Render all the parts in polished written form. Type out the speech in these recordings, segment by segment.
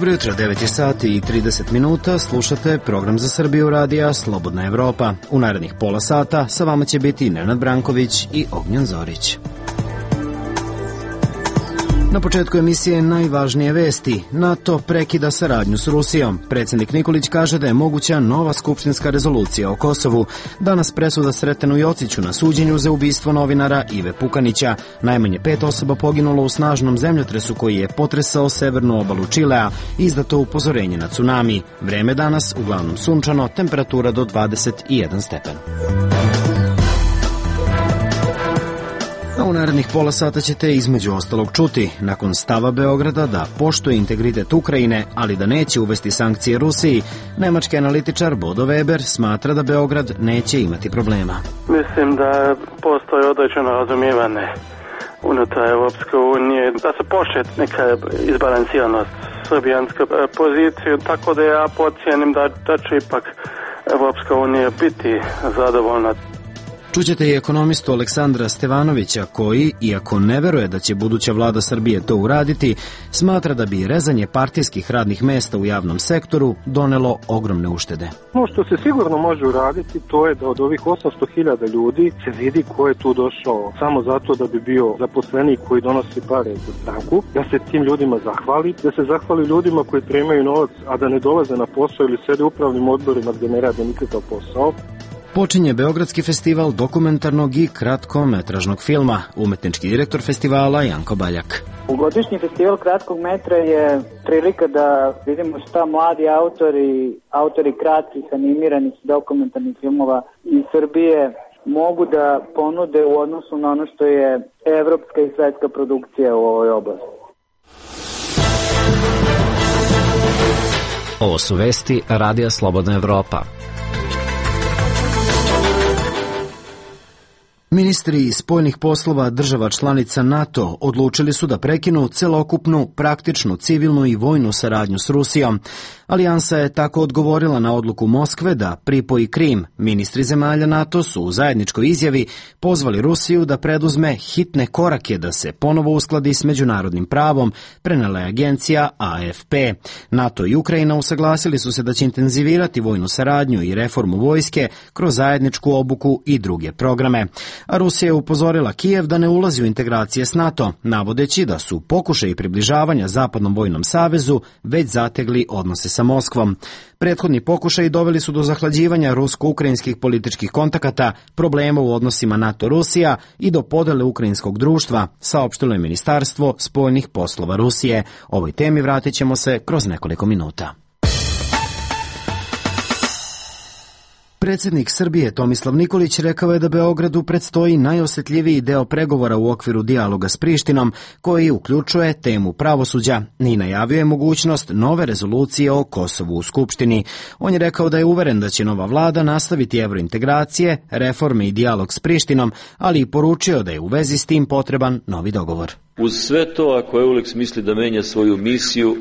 Dobro jutro, 9 sati i 30 minuta, slušate program za Srbiju radija Slobodna Evropa. U narednih pola sata sa vama će biti Nenad Branković i Ognjen Zorić. Na početku emisije najvažnije vesti. NATO prekida saradnju s Rusijom. Predsjednik Nikolić kaže da je moguća nova skupštinska rezolucija o Kosovu. Danas presuda Sretenu Jociću na suđenju za ubistvo novinara Ive Pukanića. Najmanje 5 osoba poginulo u snažnom zemljotresu koji je potresao severnu obalu Čilea. Izdato upozorenje na tsunami. Vreme danas uglavnom sunčano, temperatura do 21 stepen. A u narednih pola sata ćete između ostalog čuti, nakon stava Beograda da poštuje integritet Ukrajine, ali da neće uvesti sankcije Rusiji, nemački analitičar Bodo Weber smatra da Beograd neće imati problema. Mislim da postoji određeno razumijevanje unutar Evropske unije, da se poštuje neka izbalansiranost srbijanske pozicije, tako da ja pocijenim da će ipak Evropska unija biti zadovoljna. Čućete i ekonomistu Aleksandra Stevanovića koji, iako ne veruje da će buduća vlada Srbije to uraditi, smatra da bi rezanje partijskih radnih mesta u javnom sektoru donelo ogromne uštede. Ono što se sigurno može uraditi to je da od ovih 800.000 ljudi se vidi ko je tu došao samo zato da bi bio zaposlenik koji donosi pare za stranku, da se tim ljudima zahvali, da se zahvali ljudima koji primaju novac, a da ne dolaze na posao ili sede u upravnim odborima gde ne rade nikakav posao. Počinje Beogradski festival dokumentarnog i kratkometražnog filma. Umetnički direktor festivala Janko Baljak. Godišnji festival kratkog metra je prilika da vidimo šta mladi autori kratkih animiranih dokumentarnih filmova iz Srbije mogu da ponude u odnosu na ono što je evropska i svetska produkcija u ovoj oblasti. Ovo su vesti Radija Slobodna Evropa. Ministri spoljnih poslova država članica NATO odlučili su da prekinu celokupnu, praktičnu, civilnu i vojnu saradnju s Rusijom. Alijansa je tako odgovorila na odluku Moskve da pripoji Krim. Ministri zemalja NATO su u zajedničkoj izjavi pozvali Rusiju da preduzme hitne korake da se ponovo uskladi s međunarodnim pravom, prenela je agencija AFP. NATO i Ukrajina usaglasili su se da će intenzivirati vojnu saradnju i reformu vojske kroz zajedničku obuku i druge programe. A Rusija je upozorila Kijev da ne ulazi u integracije s NATO, navodeći da su pokušaji približavanja Zapadnom vojnom savezu već zategli odnose sa Moskvom. Prethodni pokušaji doveli su do zahlađivanja rusko-ukrajinskih političkih kontakata, problema u odnosima NATO-Rusija i do podele ukrajinskog društva, saopštilo je Ministarstvo spoljnih poslova Rusije. Ovoj temi vratit ćemo se kroz nekoliko minuta. Predsjednik Srbije Tomislav Nikolić rekao je da Beogradu predstoji najosjetljiviji deo pregovora u okviru dijaloga s Prištinom, koji uključuje temu pravosuđa, i najavio je mogućnost nove rezolucije o Kosovu u Skupštini. On je rekao da je uveren da će nova vlada nastaviti evrointegracije, reforme i dijalog s Prištinom, ali i poručio da je u vezi s tim potreban novi dogovor. Uz sve to, ako EULEX misli da menja svoju misiju,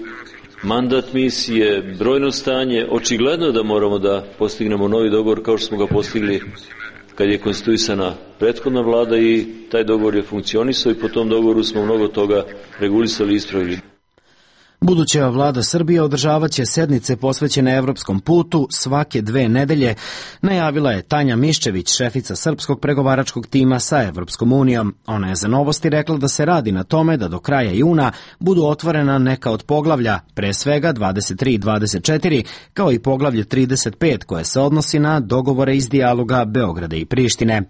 mandat misije, brojno stanje, očigledno da moramo da postignemo novi dogovor kao što smo ga postigli kad je konstituisana prethodna vlada i taj dogovor je funkcionisao i po tom dogovoru smo mnogo toga regulisali i ispravili. Buduća vlada Srbije održavat će sednice posvećene evropskom putu svake 2 nedelje, najavila je Tanja Miščević, šefica srpskog pregovaračkog tima sa Evropskom unijom. Ona je za Novosti rekla da se radi na tome da do kraja juna budu otvorena neka od poglavlja, pre svega 23 i 24, kao i poglavlje 35 koje se odnosi na dogovore iz dijaloga Beograda i Prištine.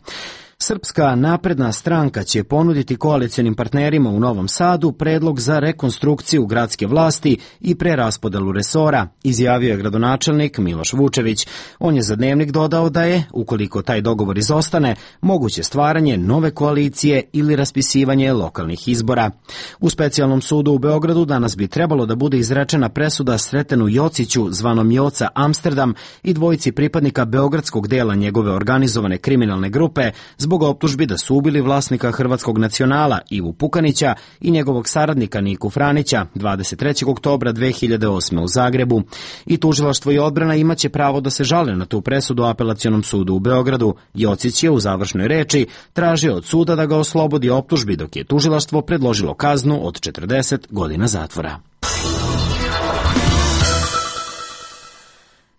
Srpska napredna stranka će ponuditi koalicionim partnerima u Novom Sadu predlog za rekonstrukciju gradske vlasti i preraspodelu resora, izjavio je gradonačelnik Miloš Vučević. On je za Dnevnik dodao da je, ukoliko taj dogovor izostane, moguće stvaranje nove koalicije ili raspisivanje lokalnih izbora. U specijalnom sudu u Beogradu danas bi trebalo da bude izrečena presuda Sretenu Jociću, zvanom Joca Amsterdam, i dvojici pripadnika beogradskog dela njegove organizovane kriminalne grupe zbog optužbi da su ubili vlasnika hrvatskog nacionala Ivu Pukanića i njegovog saradnika Niku Franića 23. oktobra 2008. u Zagrebu. I tužilaštvo i odbrana imaće pravo da se žale na tu presudu Apelacionom sudu u Beogradu. Jocić je u završnoj reči tražio od suda da ga oslobodi optužbi, dok je tužilaštvo predložilo kaznu od 40 godina zatvora.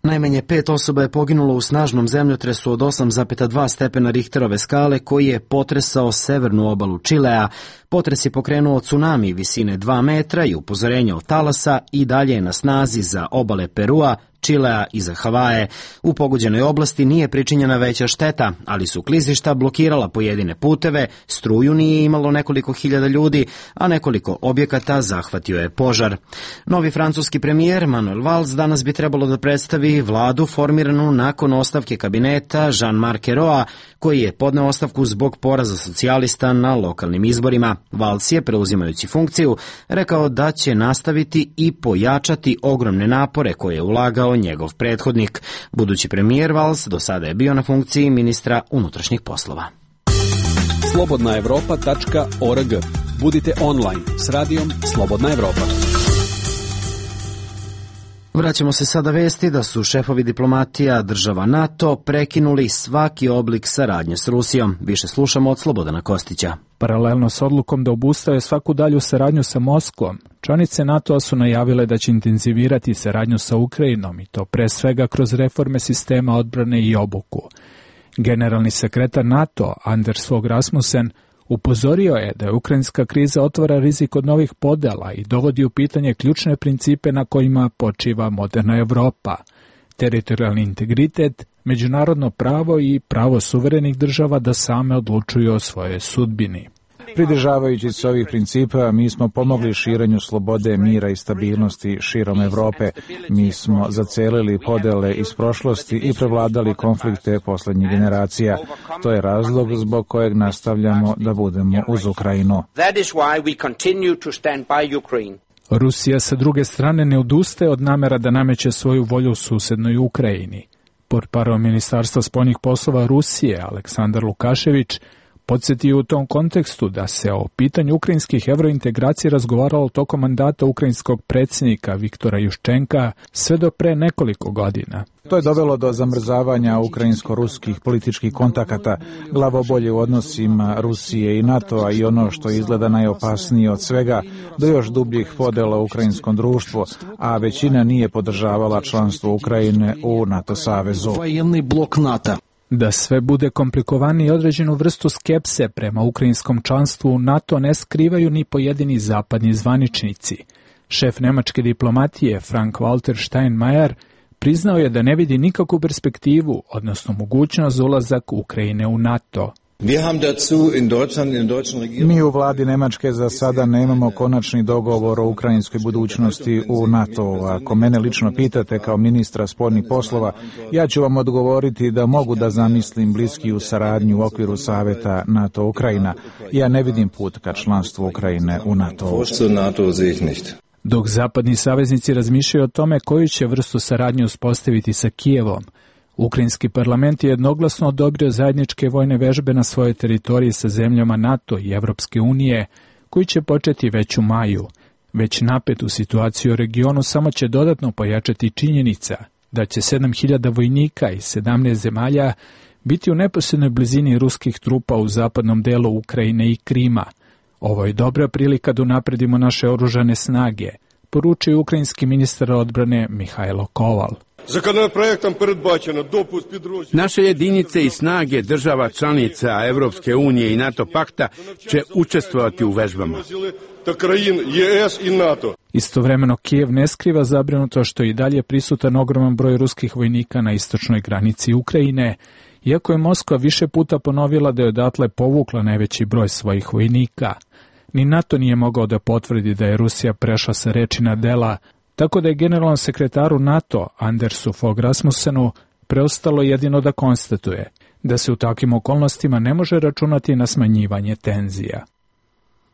Najmanje 5 osoba je poginulo u snažnom zemljotresu od 8,2 stepena Richterove skale koji je potresao severnu obalu Čilea. Potres je pokrenuo tsunami visine 2 metra i upozorenje od talasa i dalje je na snazi za obale Perua, Čilea i za Havaje. U pogođenoj oblasti nije pričinjena veća šteta, ali su klizišta blokirala pojedine puteve, struju nije imalo nekoliko hiljada ljudi, a nekoliko objekata zahvatio je požar. Novi francuski premijer Manuel Valls danas bi trebalo da predstavi vladu formiranu nakon ostavke kabineta Jean-Marc Ayraulta, koji je podneo ostavku zbog poraza socijalista na lokalnim izborima. Valls je, preuzimajući funkciju, rekao da će nastaviti i pojačati ogromne napore koje je ulagao njegov prethodnik. Budući premijer Valls do sada je bio na funkciji ministra unutrašnjih poslova. Slobodnaevropa.org. Budite online s radijom Slobodna Evropa. Vraćamo se sada vesti da su šefovi diplomatija država NATO prekinuli svaki oblik saradnje s Rusijom. Više slušamo od Slobodana Kostića. Paralelno s odlukom da obustave svaku dalju saradnju sa Moskvom, članice NATO-a su najavile da će intenzivirati saradnju sa Ukrajinom i to pre svega kroz reforme sistema odbrane i obuku. Generalni sekretar NATO Anders Fogh Rasmussen upozorio je da je ukrajinska kriza otvara rizik od novih podela i dovodi u pitanje ključne principe na kojima počiva moderna Evropa: teritorijalni integritet, međunarodno pravo i pravo suverenih država da same odlučuju o svojoj sudbini. Pridržavajući se ovih principa, mi smo pomogli širenju slobode, mira i stabilnosti širom Evrope. Mi smo zacelili podele iz prošlosti i prevladali konflikte poslednjih generacija. To je razlog zbog kojeg nastavljamo da budemo uz Ukrajinu. Rusija sa druge strane ne odustaje od namera da nameće svoju volju u susednoj Ukrajini. Portparol Ministarstva spoljnih poslova Rusije Aleksandar Lukašević podsjetio u tom kontekstu da se o pitanju ukrajinskih evrointegracija razgovaralo tokom mandata ukrajinskog predsjednika Viktora Juščenka sve do pre nekoliko godina. To je dovelo do zamrzavanja ukrajinsko-ruskih političkih kontakata, glavobolje u odnosima Rusije i NATO-a i ono što izgleda najopasnije od svega, do još dubljih podela u ukrajinskom društvu, a većina nije podržavala članstvo Ukrajine u NATO savezu. Da sve bude komplikovanije, određenu vrstu skepse prema ukrajinskom članstvu u NATO ne skrivaju ni pojedini zapadni zvaničnici. Šef nemačke diplomatije Frank-Walter Steinmeier priznao je da ne vidi nikakvu perspektivu, odnosno mogućnost za ulazak Ukrajine u NATO. Mi u vladi Nemačke za sada nemamo konačni dogovor o ukrajinskoj budućnosti u NATO. Ako mene lično pitate kao ministra spoljnih poslova, ja ću vam odgovoriti da mogu da zamislim bliskiju saradnju u okviru Saveta NATO-Ukrajina. Ja ne vidim put ka članstvu Ukrajine u NATO. Dok zapadni saveznici razmišljaju o tome koju će vrstu saradnje uspostaviti sa Kijevom, Ukrajinski parlament je jednoglasno odobrio zajedničke vojne vežbe na svojoj teritoriji sa zemljama NATO i Evropske unije, koji će početi već u maju. Već napetu situaciju u regionu samo će dodatno pojačati činjenica da će 7.000 vojnika iz 17 zemalja biti u neposrednoj blizini ruskih trupa u zapadnom delu Ukrajine i Krima. Ovo je dobra prilika da unapredimo naše oružane snage, poručio ukrajinski ministar odbrane Mihajlo Koval. Naše jedinice i snage država članica Evropske unije i NATO pakta će učestvovati u vežbama. Istovremeno Kijev ne skriva zabrinuto što je i dalje prisutan ogroman broj ruskih vojnika na istočnoj granici Ukrajine, iako je Moskva više puta ponovila da je odatle povukla najveći broj svojih vojnika. Ni NATO nije mogao da potvrdi da je Rusija prešla sa reči na dela, tako da je generalnom sekretaru NATO Andersu Fogh Rasmussenu preostalo jedino da konstatuje da se u takvim okolnostima ne može računati na smanjivanje tenzija.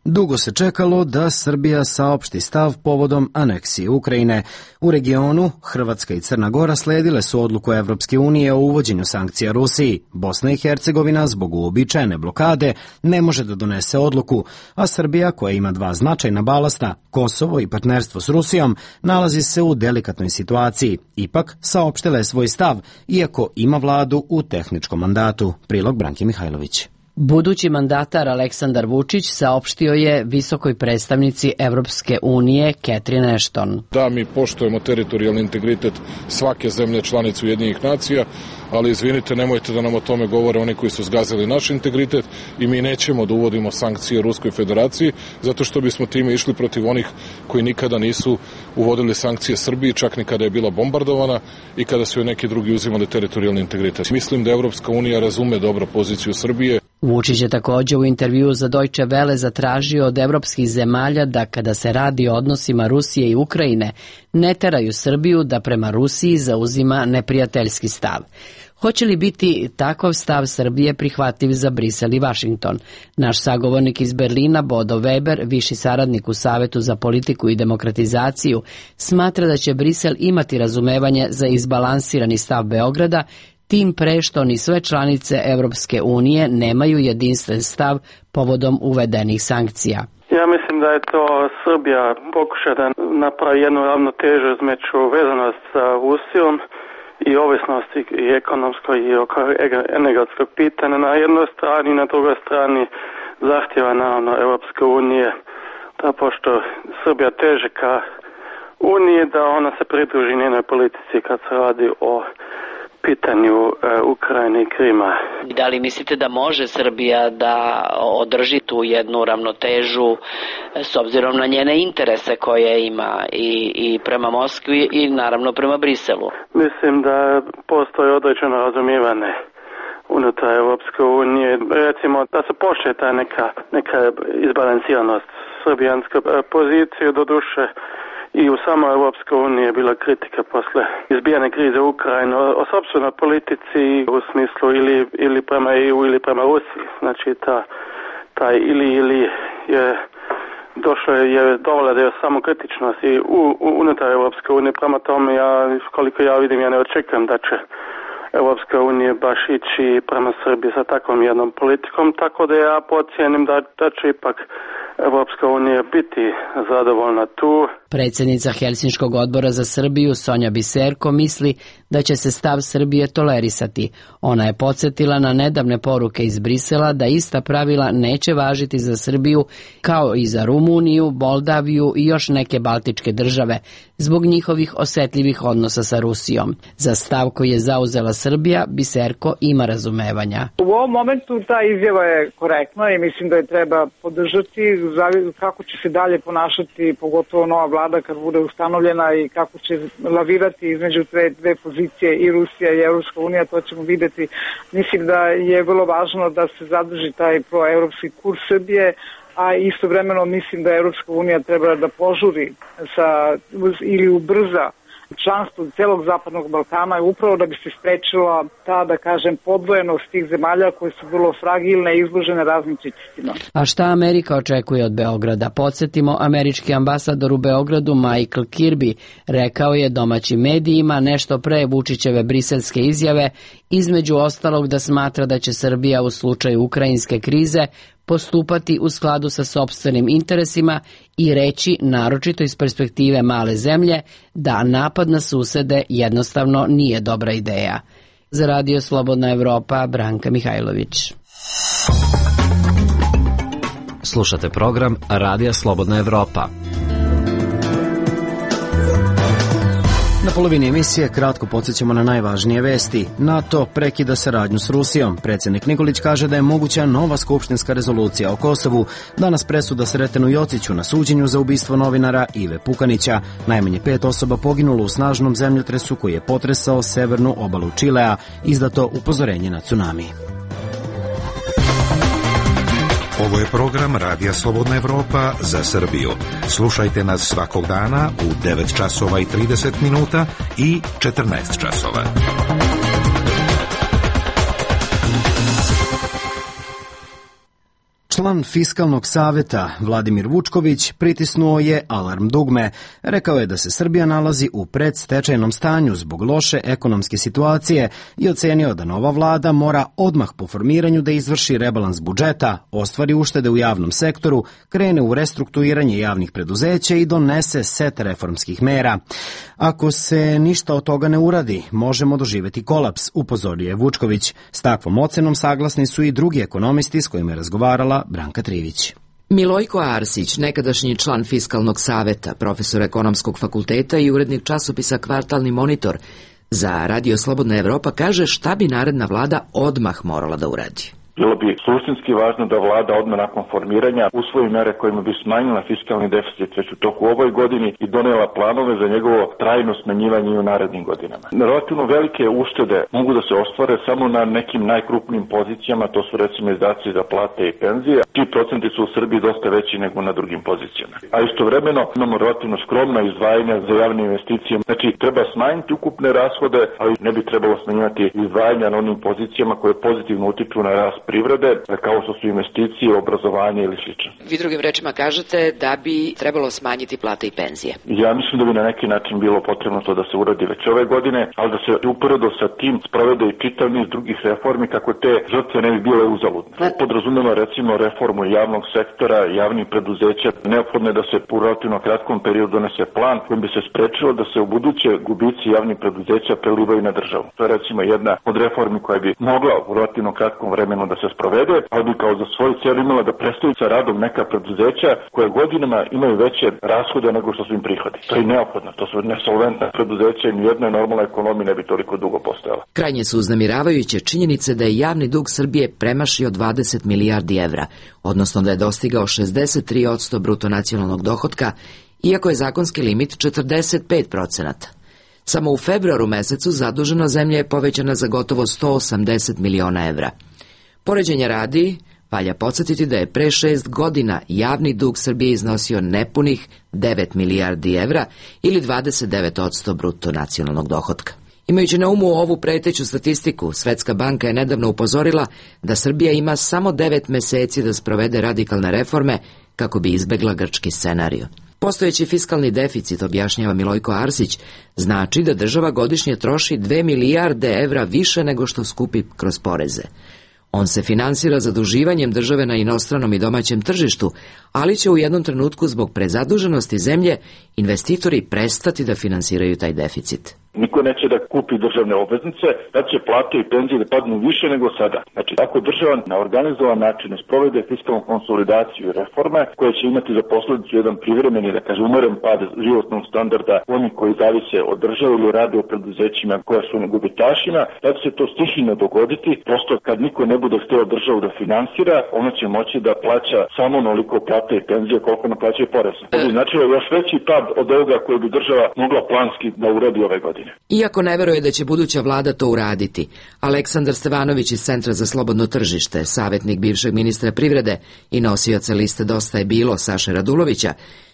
Dugo se čekalo da Srbija saopšti stav povodom aneksije Ukrajine. U regionu Hrvatska i Crna Gora sledile su odluku Evropske unije o uvođenju sankcija Rusiji. Bosna i Hercegovina zbog uobičajene blokade ne može da donese odluku, a Srbija, koja ima dva značajna balasta, Kosovo i partnerstvo s Rusijom, nalazi se u delikatnoj situaciji. Ipak saopštila je svoj stav, iako ima vladu u tehničkom mandatu. Prilog Branki Mihajlović. Budući mandatar Aleksandar Vučić saopštio je visokoj predstavnici Evropske unije Catherine Ashton. Da, mi poštujemo teritorijalni integritet svake zemlje članice Ujedinjenih nacija, ali izvinite, nemojte da nam o tome govore oni koji su zgazili naš integritet i mi nećemo da uvodimo sankcije Ruskoj federaciji, zato što bismo time išli protiv onih koji nikada nisu uvodili sankcije Srbiji, čak ni kada je bila bombardovana i kada su joj neki drugi uzimali teritorijalni integritet. Mislim da Evropska unija razume dobro poziciju Srbije. Vučić je također u intervjuu za Deutsche Welle zatražio od evropskih zemalja da kada se radi o odnosima Rusije i Ukrajine ne teraju Srbiju da prema Rusiji zauzima neprijateljski stav. Hoće li biti takav stav Srbije prihvatljiv za Brisel i Vašington? Naš sagovornik iz Berlina, Bodo Weber, viši saradnik u Savetu za politiku i demokratizaciju, smatra da će Brisel imati razumevanje za izbalansirani stav Beograda, tim pre što ni sve članice Evropske unije nemaju jedinstven stav povodom uvedenih sankcija. Ja mislim da je to Srbija pokuša da napravi jednu ravnotežu između vezanost sa Rusijom i ovisnosti i ekonomskoj i energetskog pitanja na jednoj strani, na drugoj strani zahtjeva naravno Evropske unije da pošto Srbija teže ka Uniji da ona se pridruži njenoj politici kad se radi o pitanju Ukrajine i Krima. Da li mislite da može Srbija da održi tu jednu ravnotežu s obzirom na njene interese koje ima i prema Moskvi i naravno prema Briselu? Mislim da postoji određeno razumijevanje unutar Evropske unije. Recimo da se poštuje ta neka izbalansiranost srbijanske pozicije, doduše i u samoj Evropskoj uniji je bila kritika posle izbijane krize u Ukrajini o sopstvenoj politici u smislu ili prema EU ili prema Rusiji. Znači taj ili je došlo je dovoljno da je samo kritičnost i unutar Evropske unije. Prema tome, koliko ja vidim, ja ne očekujem da će Evropska unija baš ići prema Srbiji sa takvom jednom politikom, tako da ja pocijenim da će ipak Evropska unija biti zadovoljna tu. Predsjednica Helsinškog odbora za Srbiju Sonja Biserko misli da će se stav Srbije tolerisati. Ona je podsjetila na nedavne poruke iz Brisela da ista pravila neće važiti za Srbiju kao i za Rumuniju, Moldaviju i još neke baltičke države zbog njihovih osjetljivih odnosa sa Rusijom. Za stav koji je zauzela Srbija, Biserko ima razumevanja. U ovom momentu ta izjava je korektna i mislim da je treba podržati. Kako će se dalje ponašati, pogotovo nova vlada kad bude ustanovljena i kako će lavirati između dve pozicije i Rusija i Evropska unija, to ćemo vidjeti. Mislim da je vrlo važno da se zadrži taj proevropski kurs Srbije, a istovremeno mislim da Evropska unija treba da požuri ili ubrza članstvo celog Zapadnog Balkana upravo da bi se sprečila ta, da kažem, podvojenost tih zemalja koje su vrlo fragilne i izložene raznim pritiscima. A šta Amerika očekuje od Beograda? Podsjetimo, američki ambasador u Beogradu Michael Kirby rekao je domaćim medijima nešto pre Vučićeve briselske izjave, između ostalog da smatra da će Srbija u slučaju ukrajinske krize postupati u skladu sa sopstvenim interesima i reći, naročito iz perspektive male zemlje, da napad na susede jednostavno nije dobra ideja. Za Radio Slobodna Evropa, Branka Mihajlović. Slušate program Radija Slobodna Evropa. Na polovini emisije kratko podsjećamo na najvažnije vesti. NATO prekida saradnju s Rusijom. Predsjednik Nikolić kaže da je moguća nova skupštinska rezolucija o Kosovu. Danas presuda Sretenu Jociću na suđenju za ubistvo novinara Ive Pukanića. Najmanje 5 osoba poginulo u snažnom zemljotresu koji je potresao severnu obalu Čilea. Izdato upozorenje na tsunami. Ovo je program Radija Slobodna Evropa za Srbiju. Slušajte nas svakog dana u 9 časova i 30 minuta i 14 časova. Član Fiskalnog saveta Vladimir Vučković pritisnuo je alarm dugme. Rekao je da se Srbija nalazi u predstečajnom stanju zbog loše ekonomske situacije i ocenio da nova vlada mora odmah po formiranju da izvrši rebalans budžeta, ostvari uštede u javnom sektoru, krene u restrukturiranje javnih preduzeća i donese set reformskih mera. Ako se ništa od toga ne uradi, možemo doživeti kolaps, upozorio je Vučković. S takvom ocenom saglasni su i drugi ekonomisti s kojima je razgovarala Branka Trivić. Milojko Arsić, nekadašnji član Fiskalnog saveta, profesor ekonomskog fakulteta i urednik časopisa Kvartalni monitor, za Radio Slobodna Evropa kaže šta bi naredna vlada odmah morala da uradi. Bilo bi suštinski važno da vlada odmah nakon formiranja usvoji mere kojima bi smanjila fiskalni deficit već u toku ovoj godini i donela planove za njegovo trajno smanjivanje i u narednim godinama. Relativno velike uštede mogu da se ostvare samo na nekim najkrupnijim pozicijama, to su recimo izdaci za plate i penzije. Ti procenti su u Srbiji dosta veći nego na drugim pozicijama. A istovremeno imamo relativno skromna izdvajanja za javne investicije. Znači treba smanjiti ukupne rashode, ali ne bi trebalo smanjivati izdvajanja na onim pozicijama koje pozitivno utiču na rast privrede, kao što su investicije, obrazovanje ili slično. Vi drugim rečima kažete da bi trebalo smanjiti plate i penzije. Ja mislim da bi na neki način bilo potrebno to da se uradi već ove godine, ali da se uporedo sa tim sprovede i čitav niz drugih reformi kako te žrtve ne bi bile uzaludne. Podrazumeva recimo reformu javnog sektora, javnih preduzeća. Neophodno je da se u relativno kratkom periodu donese plan kojim bi se sprečilo da se u buduće gubici javnih preduzeća prelivaju na državu. To je recimo jedna od reformi koja bi mogla u relativno kratkom vremenu da se sprovede, ali bi kao za svoju cijelu imala da prestaju sa radom neka preduzeća koje godinama imaju veće rashode nego što su im prihodi. To je neophodno, to su nesolventna preduzeća i nijedna normalna ekonomija ne bi toliko dugo postojala. Krajnje su uznemiravajuće činjenice da je javni dug Srbije premašio 20 milijardi evra, odnosno da je dostigao 63% bruto nacionalnog dohotka, iako je zakonski limit 45%. Samo u februaru mesecu zaduženost zemlje je povećana za gotovo 180 miliona evra. Poređenja radi, valja podsjetiti da je pre 6 godina javni dug Srbije iznosio nepunih 9 milijardi evra ili 29% bruto nacionalnog dohotka. Imajući na umu ovu preteću statistiku, Svetska banka je nedavno upozorila da Srbija ima samo 9 meseci da sprovede radikalne reforme kako bi izbegla grčki scenario. Postojeći fiskalni deficit, objašnjava Milojko Arsić, znači da država godišnje troši 2 milijarde evra više nego što skupi kroz poreze. On se finansira zaduživanjem države na inostranom i domaćem tržištu, ali će u jednom trenutku zbog prezaduženosti zemlje investitori prestati da finansiraju taj deficit. Niko neće da kupi državne obveznice, da će plate i penzije da padnu više nego sada. Znači, ako država na organizovan način sprovede fiskalnu konsolidaciju i reforme, koje će imati za posledicu jedan privremeni, da kaže, umeren pad životnog standarda oni koji zavise od države ili rade o preduzećima koja su na gubitašima, da će se to stihijno dogoditi. Prosto, kad niko ne bude hteo državu da finansira, ona će moći da plaća samo onoliko plate i penzije koliko naplaćaju poreza. To bi značilo još veći pad od ovoga koje bi država mogla planski da uradi ove godine. Iako ne veruje da će buduća vlada to uraditi, Aleksandar Stevanović iz Centra za slobodno tržište, savjetnik bivšeg ministra privrede i nosioca liste Dosta je bilo Saše Radulovića,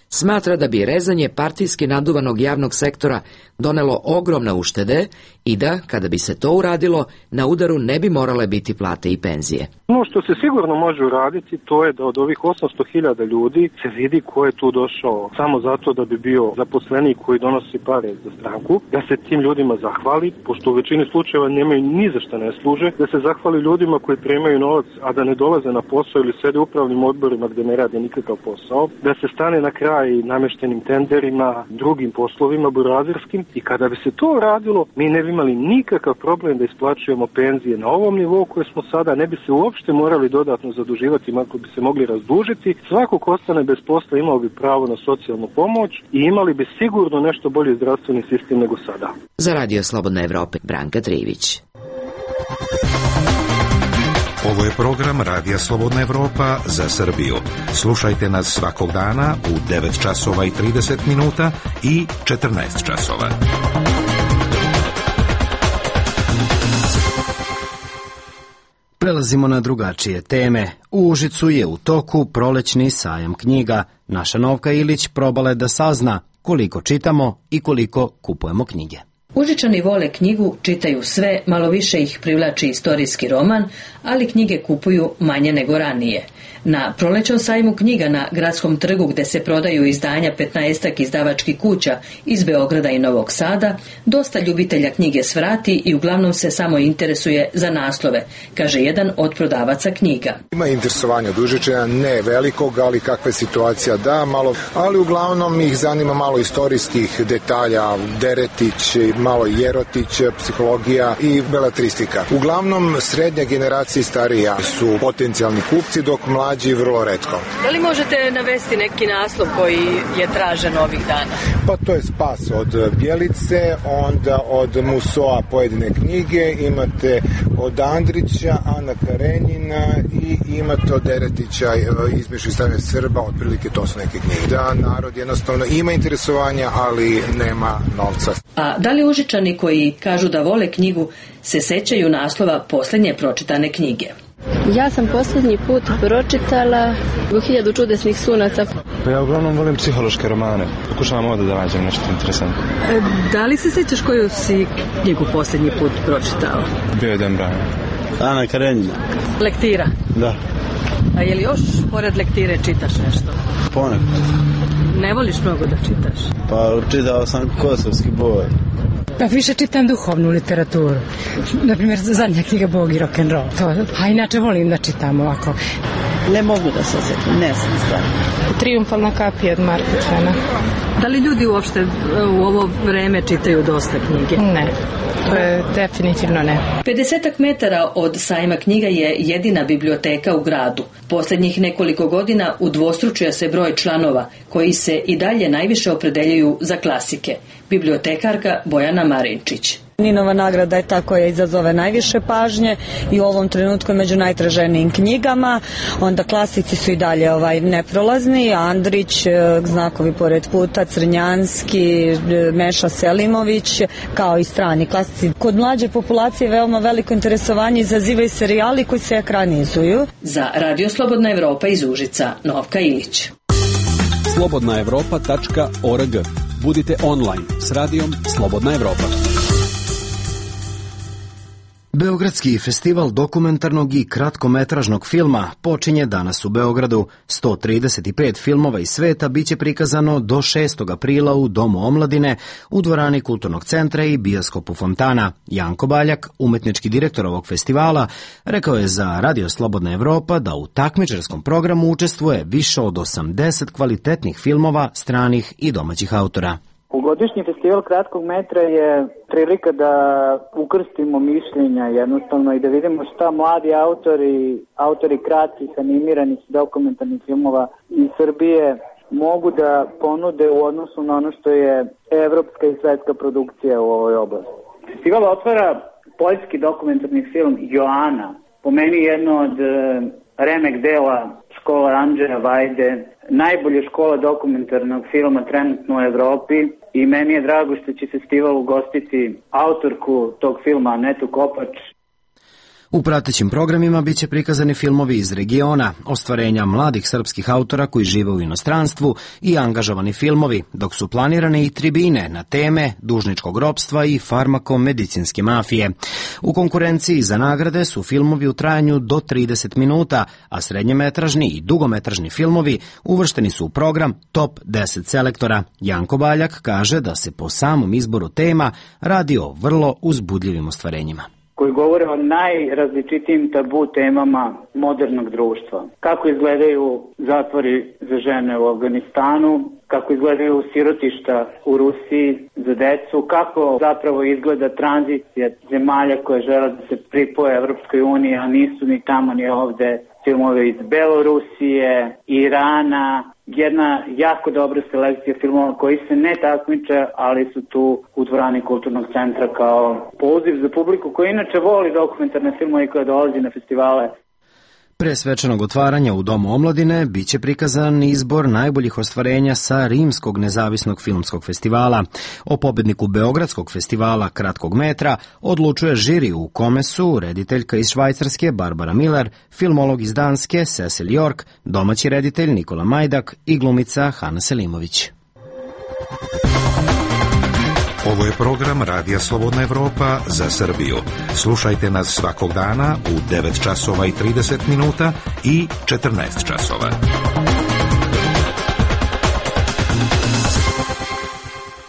smatra da bi rezanje partijski naduvanog javnog sektora donelo ogromne uštede i da, kada bi se to uradilo, na udaru ne bi morale biti plate i penzije. Ono što se sigurno može uraditi, to je da od ovih 800.000 ljudi se vidi ko je tu došao samo zato da bi bio zaposlenik koji donosi pare za stranku, da se tim ljudima zahvali, pošto u većini slučajeva nemaju ni za šta ne služe, da se zahvali ljudima koji primaju novac, a da ne dolaze na posao ili sede u upravnim odborima gde ne rade nikakav posao, da se stane na kraj nameštenim tenderima, drugim poslovima burazerskim, i kada bi se to radilo, mi ne bi imali nikakav problem da isplaćujemo penzije na ovom nivou koje smo sada, ne bi se uopšte morali dodatno zaduživati, ako bi se mogli razdužiti. Svako ko ostane bez posla imao bi pravo na socijalnu pomoć i imali bi sigurno nešto bolji zdravstveni sistem nego sada. Za Radio Slobodna Evropa, Branka Trivić. Ovo je program Radija Slobodna Evropa za Srbiju. Slušajte nas svakog dana u 9 časova i 30 minuta i 14 časova. Prelazimo na drugačije teme. U Užicu je u toku prolećni sajam knjiga. Naša Novka Ilić probala je da sazna koliko čitamo i koliko kupujemo knjige. Užičani vole knjigu, čitaju sve, malo više ih privlači istorijski roman, ali knjige kupuju manje nego ranije. Na prolećnom sajmu knjiga na Gradskom trgu, gde se prodaju izdanja 15-ak izdavačkih kuća iz Beograda i Novog Sada, dosta ljubitelja knjige svrati i uglavnom se samo interesuje za naslove, kaže jedan od prodavaca knjiga. Ima interesovanja od Užičana, ne velikog, ali kakva je situacija da, malo, ali uglavnom ih zanima malo istorijskih detalja, Deretić, malo Jerotić, psihologija i beletristika. Uglavnom srednja generacija i starija su potencijalni kupci, dok mlađi vrlo retko. Da li možete navesti neki naslov koji je tražen ovih dana? Pa to je Spas od Bjelice, onda od Musoa pojedine knjige, imate od Andrića, Ana Karenjina i imate od Deretića Izmešu i stavljanje Srba, otprilike to su neke knjige. Da, narod jednostavno ima interesovanja, ali nema novca. A da li Užičani koji kažu da vole knjigu se sećaju naslova posljednje pročitane knjige? Ja sam posljednji put pročitala 1000 čudesnih sunaca. Pa ja uglavnom volim psihološke romane. Pokušavam ovdje da nađem nešto interesantno. Da li se sećaš koju si knjigu posljednji put pročitao? Bio je Dan Brown. Ana Karenjina. Lektira? Da. A je li još pored lektire čitaš nešto? Ponekad. Ne voliš mnogo da čitaš? Pa čitao sam Kosovski boj. Pa više čitam duhovnu literaturu. Naprimjer, zadnja knjiga Bog i rock'n'roll. A inače volim da čitam ovako. Ne mogu da se osjetim, ne znam stvarno. Triumfalna kapija od Marka Tvena. Da li ljudi uopšte u ovo vreme čitaju dosta knjige? Ne. To je definitivno ne. 50 metara od sajma knjiga je jedina biblioteka u gradu. Posljednjih nekoliko godina udvostručio se broj članova koji se i dalje najviše opredeljuju za klasike. Bibliotekarka Bojana Marinčić. Ninova nagrada je ta koja izazove najviše pažnje i u ovom trenutku je među najtraženijim knjigama. Onda klasici su i dalje neprolazni, Andrić, Znakovi pored puta, Crnjanski, Meša Selimović, kao i strani klasici. Kod mlađe populacije veoma veliko interesovanje izazivaju serijali koji se ekranizuju. Za Radio Slobodna Evropa iz Užica, Novka Ilić. slobodnaevropa.org. Budite online s radijom Slobodna Evropa. Beogradski festival dokumentarnog i kratkometražnog filma počinje danas u Beogradu. 135 filmova iz sveta biće prikazano do 6. aprila u Domu omladine, u dvorani Kulturnog centra i bioskopu Fontana. Janko Baljak, umetnički direktor ovog festivala, rekao je za Radio Slobodna Evropa da u takmičarskom programu učestvuje više od 80 kvalitetnih filmova stranih i domaćih autora. Godišnji festival kratkog metra je prilika da ukrstimo mišljenja jednostavno i da vidimo šta mladi autori kratkih animiranih dokumentarnih filmova iz Srbije mogu da ponude u odnosu na ono što je evropska i svetska produkcija u ovoj oblasti. Festival otvara poljski dokumentarni film Joana, po meni jedno od remek dela škola Andrzeja Vajde, najbolja škola dokumentarnog filma trenutno u Evropi i meni je drago što će festival ugostiti autorku tog filma Anetu Kopač. U pratećim programima biće prikazani filmovi iz regiona, ostvarenja mladih srpskih autora koji žive u inostranstvu i angažovani filmovi, dok su planirane i tribine na teme dužničkog ropstva i farmakomedicinske mafije. U konkurenciji za nagrade su filmovi u trajanju do 30 minuta, a srednjemetražni i dugometražni filmovi uvršteni su u program Top 10 selektora. Janko Baljak kaže da se po samom izboru tema radi o vrlo uzbudljivim ostvarenjima, koji govore o najrazličitijim tabu temama modernog društva. Kako izgledaju zatvori za žene u Afganistanu, kako izgledaju sirotišta u Rusiji za decu, kako zapravo izgleda tranzicija zemalja koje žele da se pripoje Evropskoj uniji, a nisu ni tamo ni ovde, filmove iz Belorusije, Irana, jedna jako dobra selekcija filmova koji se ne takmiče, ali su tu u dvorani Kulturnog centra kao poziv za publiku koja inače voli dokumentarne filmove i koja dolazi na festivale. Pre svečanog otvaranja u Domu omladine biće prikazan izbor najboljih ostvarenja sa Rimskog nezavisnog filmskog festivala. O pobedniku Beogradskog festivala kratkog metra odlučuje žiri u kome su rediteljka iz Švajcarske Barbara Miller, filmolog iz Danske Cecil York, domaći reditelj Nikola Majdak i glumica Hana Selimović. Ovo je program Radija Slobodna Evropa za Srbiju. Slušajte nas svakog dana u 9 časova i 30 minuta i 14 časova.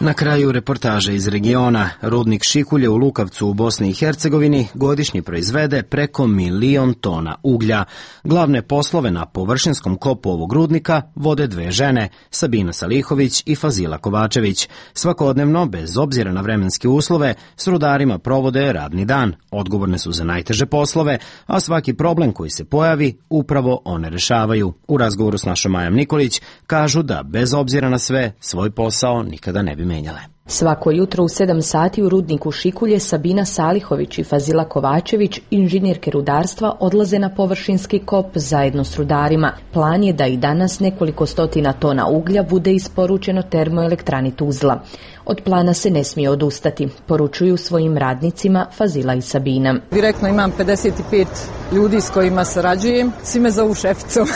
Na kraju reportaže iz regiona. Rudnik Šikulje u Lukavcu u Bosni i Hercegovini godišnje proizvede preko 1 milion tona uglja. Glavne poslove na površinskom kopu ovog rudnika vode dve žene, Sabina Salihović i Fazila Kovačević. Svakodnevno, bez obzira na vremenske uslove, s rudarima provode radni dan. Odgovorne su za najteže poslove, a svaki problem koji se pojavi, upravo one rešavaju. U razgovoru s našom Majom Nikolić kažu da, bez obzira na sve, svoj posao nikada ne bi menjale. Svako jutro u 7 sati u rudniku Šikulje Sabina Salihović i Fazila Kovačević, inženjerke rudarstva, odlaze na površinski kop zajedno s rudarima. Plan je da i danas nekoliko stotina tona uglja bude isporučeno termoelektrani Tuzla. Od plana se ne smije odustati, poručuju svojim radnicima Fazila i Sabina. Direktno imam 55 ljudi s kojima sarađujem, svi me zovu šeficom.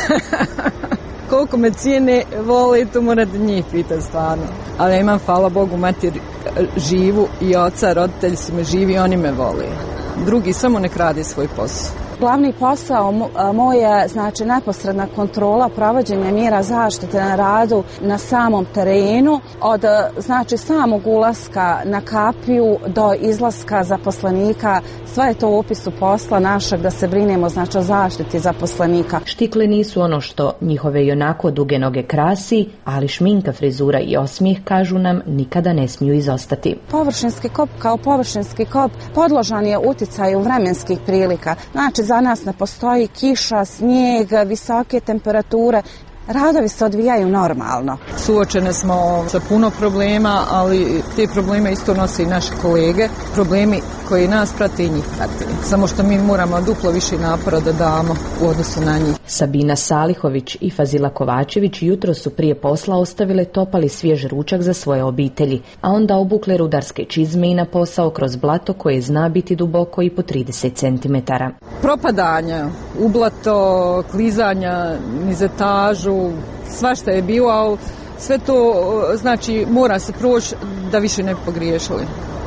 Koliko me cijene, vole, to morate njih pitati stvarno. Ali ja imam, hvala Bogu, mater živu i oca, roditelji su me živi i oni me vole. Drugi samo nek radi svoj posao. Glavni posao moj je, znači, neposredna kontrola provođenja mjera zaštite na radu na samom terenu, od, znači, samog ulaska na kapiju do izlaska zaposlenika. Sve je to u opisu posla našeg da se brinemo, znači, o zaštiti zaposlenika. Štikle nisu ono što njihove i onako duge noge krasi, ali šminka, frizura i osmijeh, kažu nam, nikada ne smiju izostati. Površinski kop kao površinski kop podložan je uticaju vremenskih prilika. Znači, za nas ne postoji kiša, snijeg, visoke temperature. Radovi se odvijaju normalno. Suočene smo sa puno problema, ali te probleme isto nose i naše kolege. Problemi koji nas prate i njih prate. Samo što mi moramo duplo više napora da damo u odnosu na njih. Sabina Salihović i Fazila Kovačević jutro su prije posla ostavile topali svjež ručak za svoje obitelji, a onda obukle rudarske čizme i na posao kroz blato koje zna biti duboko i po 30 cm. Propadanja, ublato, klizanja niz etažu, svašta je bilo, ali sve to, znači, mora se proći da više ne bi pogriješili.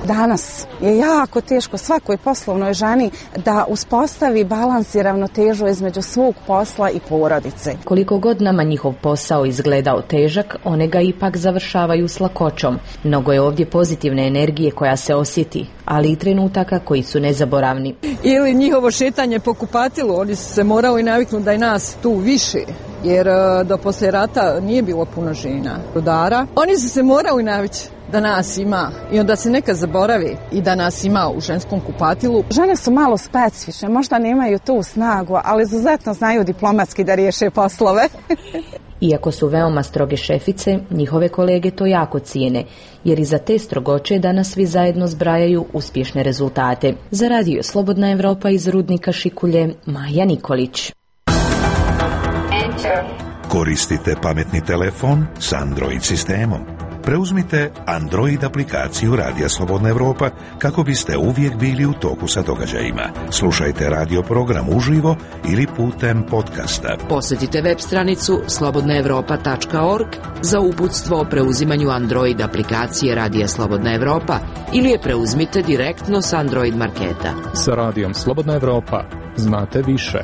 Danas je jako teško svakoj poslovnoj ženi da uspostavi balans i ravnotežu između svog posla i porodice. Koliko god nama njihov posao izgledao težak, one ga ipak završavaju s lakoćom. Mnogo je ovdje pozitivne energije koja se osjeti, ali i trenutaka koji su nezaboravni. Ili njihovo šetanje po kupatilu, oni su se morali naviknuti da je nas tu više, jer do poslije rata nije bilo puno žena rudara. Oni su se morali navići da nas ima i onda se nekad zaboravi i da nas ima u ženskom kupatilu. Žene su malo specifične, možda nemaju tu snagu, ali izuzetno znaju diplomatski da riješe poslove. Iako su veoma stroge šefice, njihove kolege to jako cijene, jer iza te strogoće danas svi zajedno zbrajaju uspješne rezultate. Za Radio Slobodna Evropa iz rudnika Šikulje, Maja Nikolić. Koristite pametni telefon s Android sistemom. Preuzmite Android aplikaciju Radija Slobodna Evropa kako biste uvijek bili u toku sa događajima. Slušajte radio program uživo ili putem podcasta. Posjetite web stranicu slobodnaevropa.org za uputstvo o preuzimanju Android aplikacije Radija Slobodna Evropa ili je preuzmite direktno s Android marketa. Sa Radijom Slobodna Evropa znate više.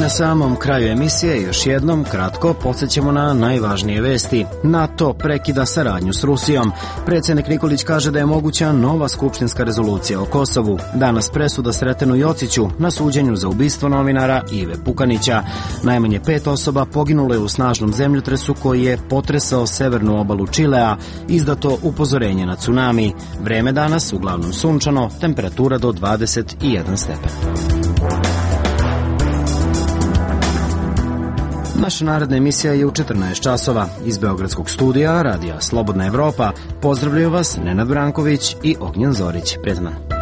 Na samom kraju emisije još jednom kratko podsjećamo na najvažnije vesti. NATO prekida saradnju s Rusijom. Predsjednik Nikolić kaže da je moguća nova skupštinska rezolucija o Kosovu. Danas presuda Sretenu Jociću na suđenju za ubistvo novinara Ive Pukanića. Najmanje 5 osoba poginulo je u snažnom zemljotresu koji je potresao severnu obalu Čilea. Izdato upozorenje na tsunami. Vreme danas uglavnom sunčano, temperatura do 21 stepen. Naša naredna emisija je u 14 časova. Iz Beogradskog studija Radija Slobodna Evropa pozdravljaju vas Nenad Branković i Ognjen Zorić. Prijatno.